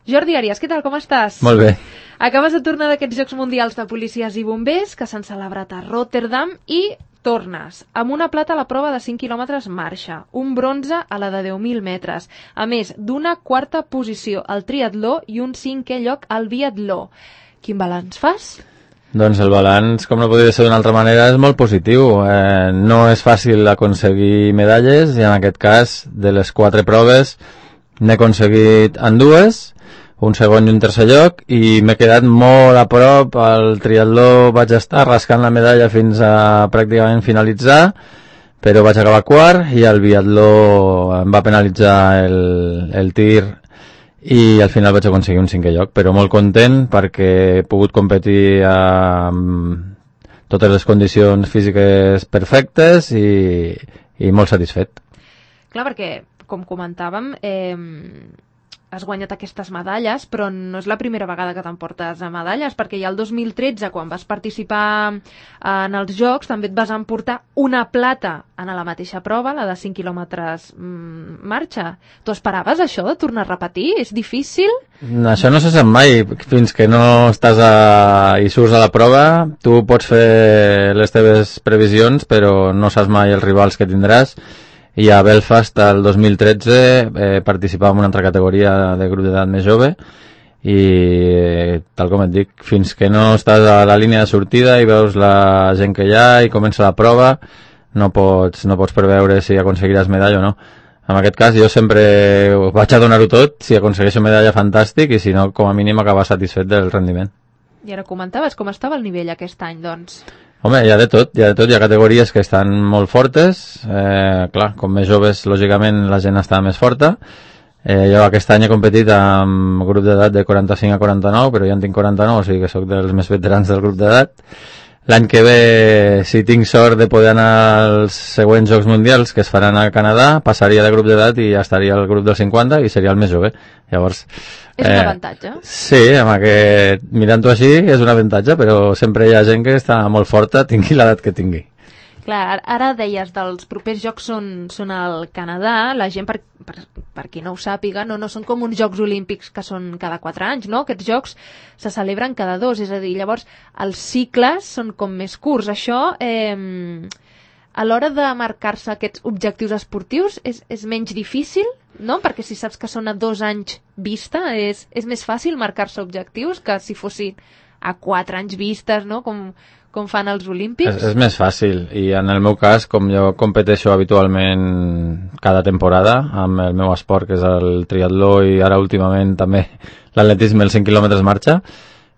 Jordi Arias, què tal, com estàs? Molt bé. Acabes de tornar d'aquests Jocs Mundials de Policies i Bombers que s'han celebrat a Rotterdam i tornes amb una plata a la prova de 5 quilòmetres marxa, un bronze a la de 10.000 metres, a més d'una quarta posició al triatló i un 5è lloc al biatló. Quin balanç fas? Doncs el balanç, com no podria ser d'una altra manera, és molt positiu. No és fàcil aconseguir medalles i en aquest cas, de les 4 proves, n'he aconseguit en 2, un segon i un tercer lloc, i m'he quedat molt a prop. Al triatló vaig estar rascant la medalla fins a pràcticament finalitzar, però vaig acabar quart, i el biatló em va penalitzar el tir i al final vaig aconseguir un 5è lloc, però molt content perquè he pogut competir amb totes les condicions físiques perfectes i molt satisfet. Clar, perquè, com comentàvem, has guanyat aquestes medalles, però no és la primera vegada que t'emportes a medalles, perquè ja el 2013, quan vas participar en els Jocs, també et vas emportar una plata en la mateixa prova, la de 5 quilòmetres marxa. Tu esperaves això de tornar a repetir? És difícil? Això no se sap mai. Fins que no estàs i surts a la prova, tu pots fer les teves previsions, però no saps mai els rivals que tindràs. I a Belfast, el 2013, participava en una altra categoria de grup d'edat més jove i, tal com et dic, fins que no estàs a la línia de sortida i veus la gent que hi ha i comença la prova, no pots preveure si aconseguiràs medalla o no. En aquest cas, jo sempre vaig a donar-ho tot. Si aconsegueixo medalla, fantàstic, i si no, com a mínim, acabar satisfet del rendiment. I ara comentaves com estava el nivell aquest any, doncs? Home, hi ha de tot, hi ha categories que estan molt fortes, clar, com més joves, lògicament, la gent està més forta. Jo aquest any he competit amb grup d'edat de 45 a 49, però ja en tinc 49, o sigui que sóc dels més veterans del grup d'edat. L'any que ve, si tinc sort de poder anar als següents Jocs Mundials, que es faran a Canadà, passaria de grup d'edat i ja estaria al grup dels 50 i seria el més jove. Llavors, és un avantatge. Sí, mirant-ho així és un avantatge, però sempre hi ha gent que està molt forta, tingui l'edat que tingui. Clar, ara deies, dels propers jocs són al Canadà. La gent, per qui no ho sàpiga, no són com uns Jocs Olímpics que són cada 4 anys, no? Aquests jocs se celebren cada 2, és a dir, llavors els cicles són com més curts. Això, a l'hora de marcar-se aquests objectius esportius, és menys difícil, no? Perquè si saps que són a 2 anys vista, és més fàcil marcar-se objectius que si fossin a 4 anys vistes, no? Com fan els Olímpics. És més fàcil, i en el meu cas, com jo competeixo habitualment cada temporada amb el meu esport, que és el triatló, i ara últimament també l'atletisme, els 5 quilòmetres marxa,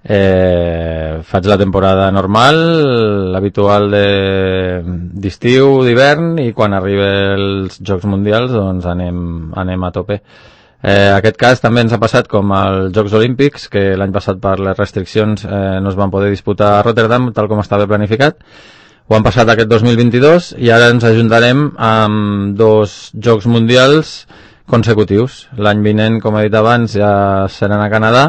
faig la temporada normal, l'habitual d'estiu, d'hivern, i quan arriben els Jocs Mundials doncs anem a tope. Aquest cas també ens ha passat com als Jocs Olímpics, que l'any passat per les restriccions no es van poder disputar a Rotterdam tal com estava planificat. Ho han passat aquest 2022 i ara ens ajuntarem amb 2 Jocs Mundials consecutius. L'any vinent, com he dit abans, ja seran a Canadà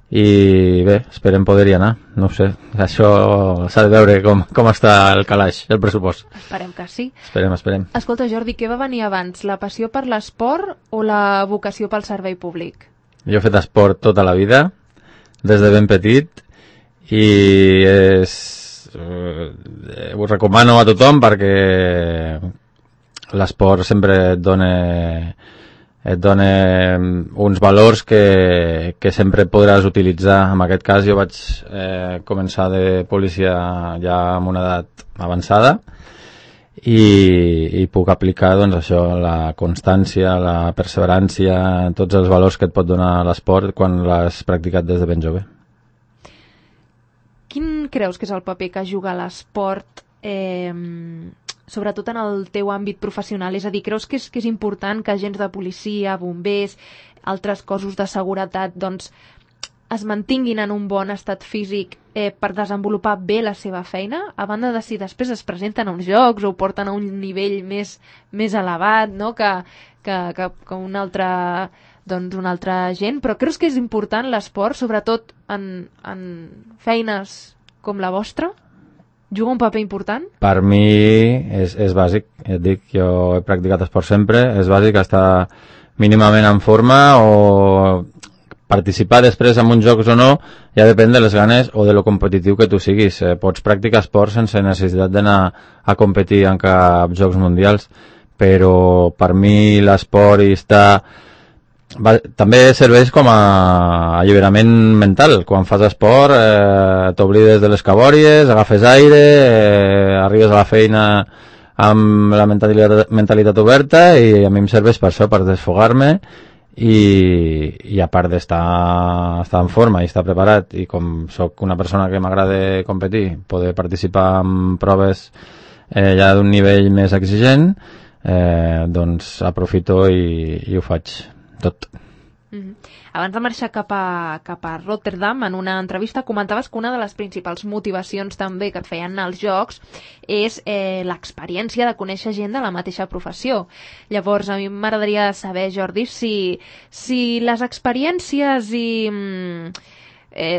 i bé, esperem poder-hi anar. No ho sé, això s'ha de veure com està el calaix, el pressupost. Esperem que sí. Esperem. Escolta, Jordi, què va venir abans, la passió per l'esport o la vocació pel servei públic? Jo he fet esport tota la vida, des de ben petit, i ho recomano a tothom perquè l'esport sempre et dona uns valors que sempre podràs utilitzar. En aquest cas jo vaig començar de policia ja amb una edat avançada i puc aplicar doncs això, la constància, la perseverància, tots els valors que et pot donar l'esport quan l'has practicat des de ben jove. Quin creus que és el paper que juga l'esport sobretot en el teu àmbit professional? És a dir, creus que és important que agents de policia, bombers, altres cossos de seguretat, doncs, es mantinguin en un bon estat físic per desenvolupar bé la seva feina, a banda de si després es presenten a uns jocs o porten a un nivell més elevat, no? que un altre gent, però creus que és important l'esport, sobretot en feines com la vostra? Juga un paper important? Per mi és bàsic, et dic, jo he practicat esport sempre, és bàsic estar mínimament en forma o participar després en uns jocs o no ja depèn de les ganes o de lo competitiu que tu siguis. Pots practicar esport sense necessitat d'anar a competir en cap jocs mundials, però per mi l'esport també serveix com a alliberament mental. Quan fas esport t'oblides de les cabòries, agafes aire, arribes a la feina amb la mentalitat oberta, i a mi em serveix per això, per desfogar-me i a part d'estar en forma i estar preparat, i com sóc una persona que m'agrada competir, poder participar en proves ja d'un nivell més exigent, doncs aprofito i ho faig tot. Abans de marxar cap a Rotterdam, en una entrevista comentaves que una de les principals motivacions també que et feien anar als Jocs és l'experiència de conèixer gent de la mateixa professió. Llavors, a mi m'agradaria saber, Jordi, si les experiències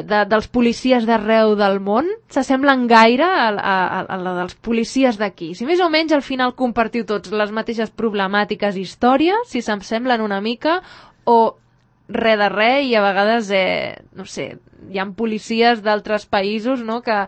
dels policies d'arreu del món s'assemblen gaire a la dels policies d'aquí. Si més o menys al final compartiu tots les mateixes problemàtiques i històries, si s'assemblen una mica o res de res, i a vegades, no sé, hi ha policies d'altres països, no?, que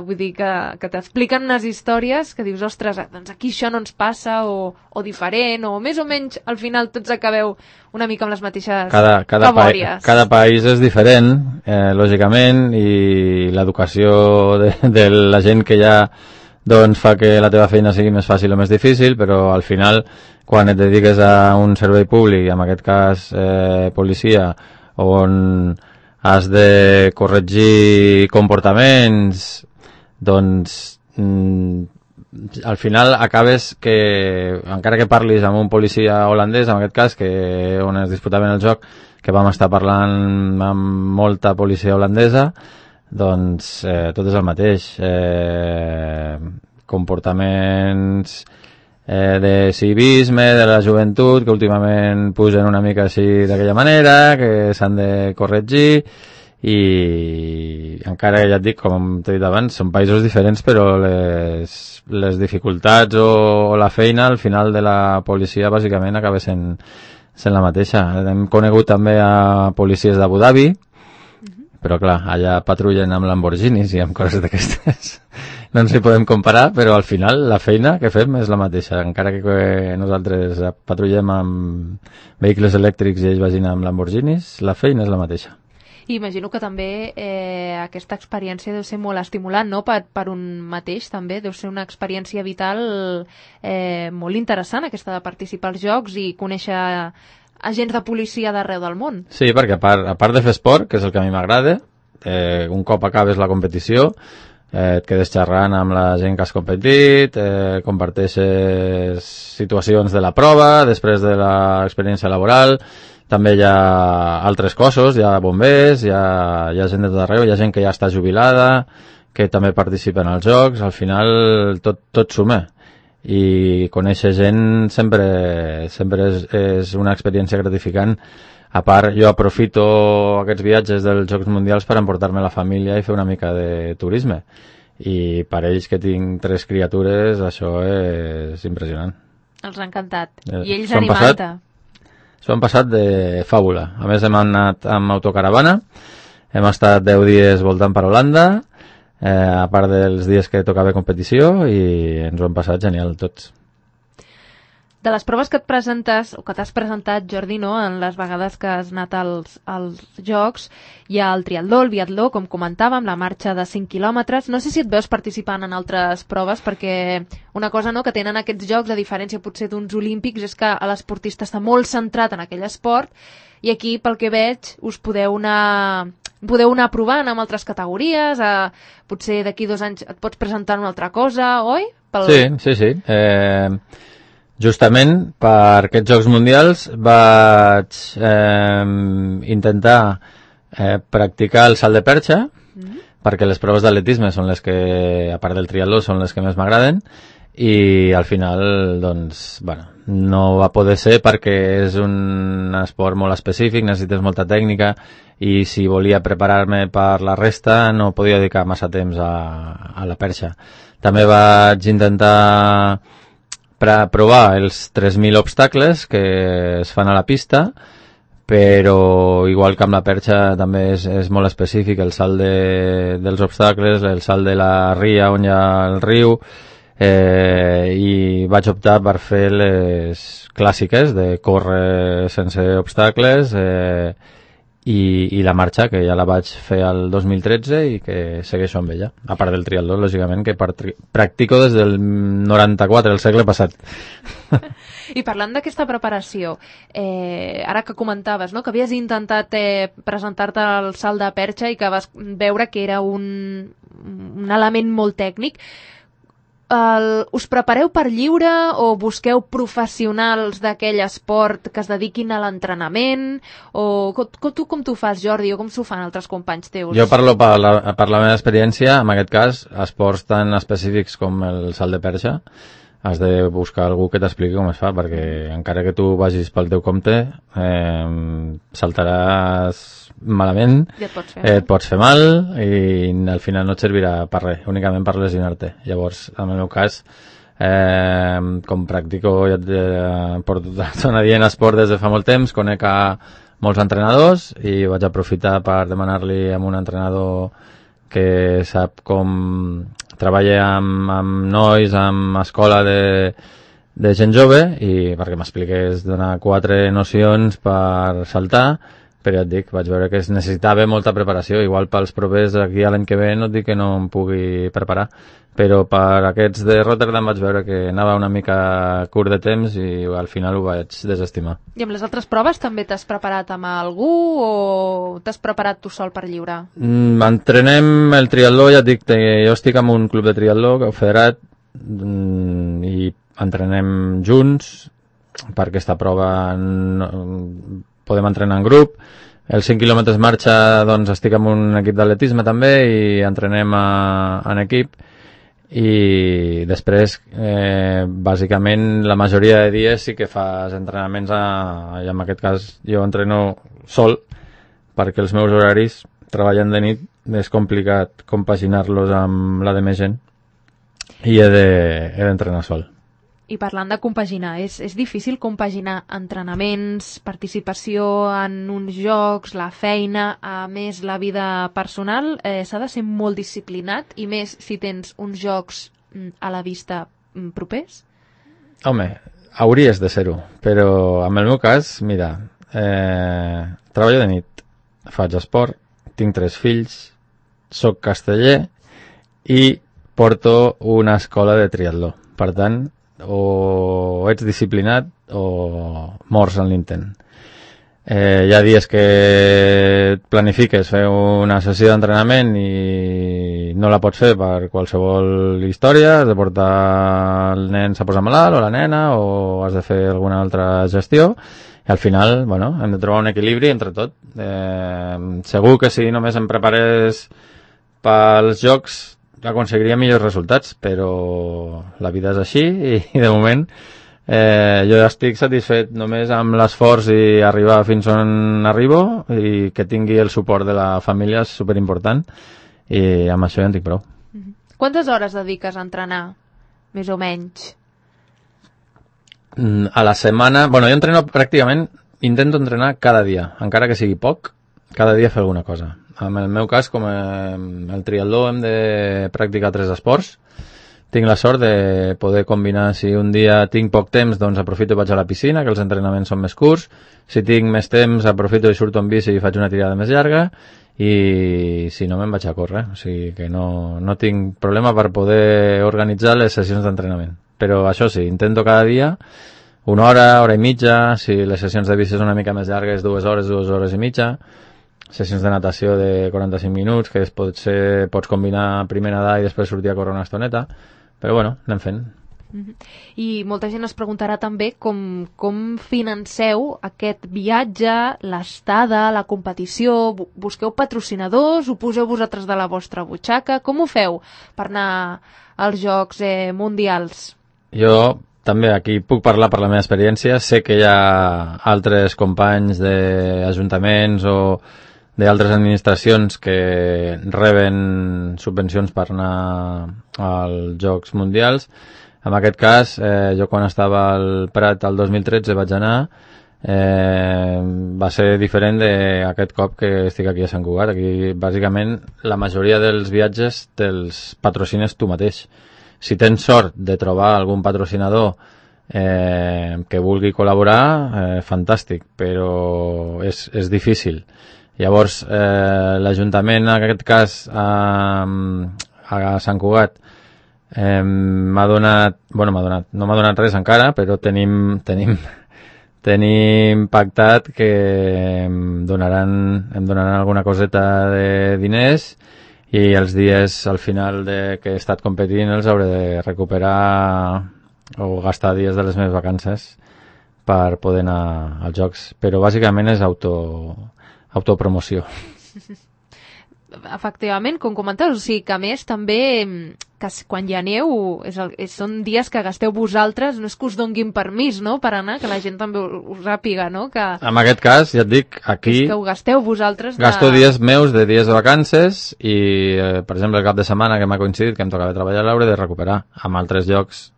vull dir que t'expliquen unes històries que dius, ostres, doncs aquí això no ens passa, o diferent, o més o menys al final tots acabeu una mica amb les mateixes cabòries. Cada país és diferent, lògicament, i l'educació de la gent que ja doncs fa que la teva feina sigui més fàcil o més difícil, però al final, quan et dediques a un servei públic, en aquest cas policia, on has de corregir comportaments, doncs al final acabes que, encara que parlis amb un policia holandès, en aquest cas, on es disputaven el joc, que vam estar parlant amb molta policia holandesa, doncs tot és el mateix. Comportaments de civisme, de la joventut, que últimament pugen una mica així d'aquella manera, que s'han de corregir, i encara ja et dic, com t'he dit abans, són països diferents, però les dificultats o la feina al final de la policia bàsicament acaba sent la mateixa. Hem conegut també a policies d'Abu Dhabi, però clar, allà patrullen amb Lamborghinis i amb coses d'aquestes. No ens hi podem comparar, però al final la feina que fem és la mateixa. Encara que nosaltres patrullem amb vehicles elèctrics i ells vagin amb Lamborghinis, la feina és la mateixa. I imagino que també aquesta experiència deu ser molt estimulant, no?, per un mateix també. Deu ser una experiència vital molt interessant, aquesta de participar als Jocs i conèixer agents de policia d'arreu del món. Sí, perquè a part de fer esport, que és el que a mi m'agrada, un cop acabes la competició, et quedes xerrant amb la gent que has competit, comparteixes situacions de la prova, després de l'experiència laboral, també hi ha altres cossos, hi ha bombers, hi ha gent de tot arreu, hi ha gent que ja està jubilada, que també participa en els jocs, al final tot suma. I conèixer gent sempre és una experiència gratificant. A part, jo aprofito aquests viatges dels Jocs Mundials per emportar-me la família i fer una mica de turisme. I per ells, que tinc 3 criatures, això és impressionant. Els ha encantat. I ells animant-te. S'ho han passat de fàbula. A més, hem anat amb autocaravana, hem estat 10 dies voltant per Holanda, a part dels dies que tocava competició, i ens ho hem passat genial tots. De les proves que et presentes, o que t'has presentat, Jordi, no?, en les vegades que has anat als Jocs, hi ha el triatló, el biatló, com comentàvem, la marxa de 5 quilòmetres. No sé si et veus participant en altres proves, perquè una cosa, no?, que tenen aquests Jocs, a diferència potser d'uns olímpics, és que l'esportista està molt centrat en aquell esport, i aquí, pel que veig, us podeu anar provant amb altres categories, potser d'aquí 2 anys et pots presentar una altra cosa, oi? Sí. Justament per aquests Jocs Mundials vaig intentar practicar el salt de perxa, perquè les proves d'atletisme són les que, a part del triatló, són les que més m'agraden, i al final, doncs, bueno, no va poder ser perquè és un esport molt específic, necessites molta tècnica, i si volia preparar-me per la resta no podia dedicar massa temps a la perxa. També vaig intentar provar els 3.000 obstacles que es fan a la pista, però igual que amb la perxa també és molt específic, el salt dels obstacles, el salt de la ria on hi ha el riu, i vaig optar per fer les clàssiques de córrer sense obstacles, i la marxa, que ja la vaig fer el 2013 i que segueixo amb ella, a part del triatló, lògicament, que practico des del 94, el segle passat. I parlant d'aquesta preparació, ara que comentaves, no?, que havies intentat presentar-te al salt de perxa i que vas veure que era un element molt tècnic, us prepareu per lliure o busqueu professionals d'aquell esport que es dediquin a l'entrenament? O tu com t'ho fas, Jordi, o com s'ho fan altres companys teus? Jo parlo per la meva experiència, en aquest cas, esports tan específics com el salt de perxa, has de buscar algú que t'expliqui com es fa, perquè encara que tu vagis pel teu compte, saltaràs malament, et pots fer mal i al final no et servirà per res, únicament per lesionar-te. Llavors, en el meu cas, com practico, ja porto una dient esport des de fa molt temps, conec a molts entrenadors i vaig aprofitar per demanar-li a un entrenador que sap com treballa amb nois, amb escola de gent jove, i perquè m'expliqués donar 4 nocions per saltar, però ja et dic, vaig veure que es necessitava molta preparació, igual pels propers aquí a l'any que ve no et dic que no em pugui preparar, però per aquests de Rotterdam vaig veure que anava una mica curt de temps i al final ho vaig desestimar. I amb les altres proves també t'has preparat amb algú o t'has preparat tu sol per lliure? Entrenem el triatló, ja et dic, jo estic en un club de triatló federat i entrenem junts per aquesta prova. Podem entrenar en grup. Els 5 quilòmetres marxa, doncs estic amb un equip d'atletisme també i entrenem en equip, i després bàsicament la majoria de dies sí que fas entrenaments i en aquest cas jo entreno sol perquè els meus horaris treballant de nit és complicat compaginar-los amb la de més gent i he d'entrenar sol. I parlant de compaginar, és difícil compaginar entrenaments, participació en uns jocs, la feina, a més la vida personal? S'ha de ser molt disciplinat, i més si tens uns jocs a la vista propers? Home, hauries de ser-ho, però en el meu cas, mira, treballo de nit, faig esport, tinc 3 fills, soc casteller i porto una escola de triatló. Per tant, o ets disciplinat o mors en l'intent. Hi ha dies que planifiques fer una sessió d'entrenament i no la pots fer per qualsevol història, has de portar el nen s'ha posat malalt o la nena o has de fer alguna altra gestió i al final, bueno, hem de trobar un equilibri entre tot. Segur que si només em preparés pels jocs aconseguiria millors resultats, però la vida és així i de moment jo estic satisfet només amb l'esforç i arribar fins on arribo, i que tingui el suport de la família és superimportant, i amb això ja en tinc prou. Quantes hores dediques a entrenar, més o menys? A la setmana, bueno, jo entreno pràcticament, intento entrenar cada dia, encara que sigui poc, cada dia fer alguna cosa. En el meu cas, com el triatló, hem de practicar 3 esports. Tinc la sort de poder combinar, si un dia tinc poc temps, doncs aprofito i vaig a la piscina, que els entrenaments són més curts. Si tinc més temps, aprofito i surto en bici i faig una tirada més llarga. I si no, me'n vaig a córrer. O sigui que no tinc problema per poder organitzar les sessions d'entrenament. Però això sí, intento cada dia 1 hora, hora i mitja. Si les sessions de bici són una mica més llargues, 2 hores, 2 hores i mitja. Sessions de natació de 45 minuts, que pots combinar primer nedar i després sortir a córrer una estoneta, però bueno, anem fent. I molta gent es preguntarà també com financeu aquest viatge, l'estada, la competició. Busqueu patrocinadors, ho poseu vosaltres de la vostra butxaca? Com ho feu per anar als Jocs Mundials? Jo també aquí puc parlar per la meva experiència. Sé que hi ha altres companys d'ajuntaments o d'altres administracions que reben subvencions per anar als Jocs Mundials. En aquest cas, jo quan estava al Prat el 2013 vaig anar, Va ser diferent d'aquest cop que estic aquí a Sant Cugat. Aquí, bàsicament, la majoria dels viatges te'ls patrocines tu mateix. Si tens sort de trobar algun patrocinador que vulgui col·laborar, fantàstic, però és difícil. Llavors, l'Ajuntament, en aquest cas, a Sant Cugat, no m'ha donat res encara, però tenim pactat que em donaran alguna coseta de diners i els dies al final que he estat competint els hauré de recuperar o gastar dies de les meves vacances per poder anar als Jocs. Però bàsicament és autopromoció. Efectivament, com comentaves, o sigui que a més també que quan hi ha neu són dies que gasteu vosaltres, no és que us donguin permís, no?, per anar, que la gent també ho sàpiga, no? Que en aquest cas, ja et dic, aquí és que ho gasteu vosaltres gasto dies meus de dies de vacances i, per exemple, el cap de setmana que m'ha coincidit que em tocava treballar l'hauré de recuperar. Amb altres llocs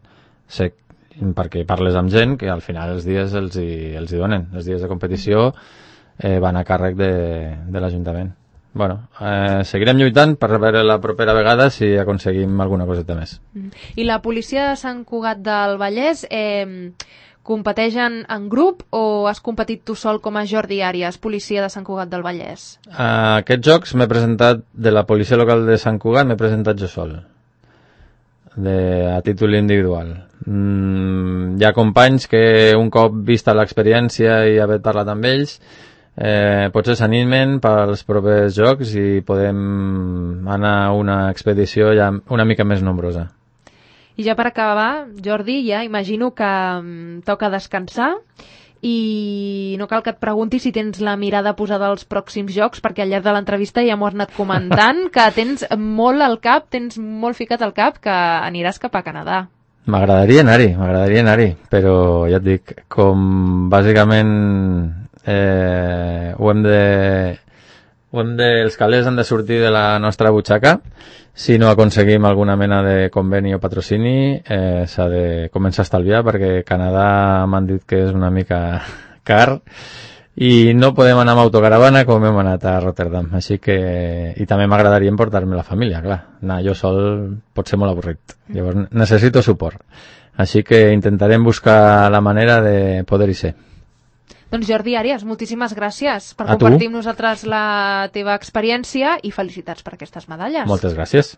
sé perquè parles amb gent que al final els dies els hi donen. Els dies de competició van a càrrec de l'Ajuntament. Bueno, seguirem lluitant per veure la propera vegada si aconseguim alguna coseta més. I la policia de Sant Cugat del Vallès competeix en grup o has competit tu sol com a Jordi Àrias, policia de Sant Cugat del Vallès? A aquests jocs m'he presentat, de la policia local de Sant Cugat m'he presentat jo sol, a títol individual. Hi ha companys que un cop vista l'experiència i haver parlat amb ells potser s'animen pels propers jocs i podem anar a una expedició ja una mica més nombrosa. I ja per acabar, Jordi, ja imagino que toca descansar i no cal que et pregunti si tens la mirada posada als pròxims jocs, perquè al llarg de l'entrevista ja m'ho has anat comentant, que tens molt al cap, tens molt ficat al cap que aniràs cap a Canadà. M'agradaria anar-hi, però ja et dic, com bàsicament els calés han de sortir de la nostra butxaca. Si no aconseguim alguna mena de conveni o patrocini, s'ha de començar a estalviar, perquè Canadà m'han dit que és una mica car i no podem anar amb autocaravana com hem anat a Rotterdam. Així que... I també m'agradaria emportar-me la família, clar. Anar jo sol pot ser molt avorrit. Llavors necessito suport. Així que intentarem buscar la manera de poder-hi ser. Doncs Jordi Àrias, moltíssimes gràcies per compartir amb nosaltres la teva experiència i felicitats per aquestes medalles. Moltes gràcies.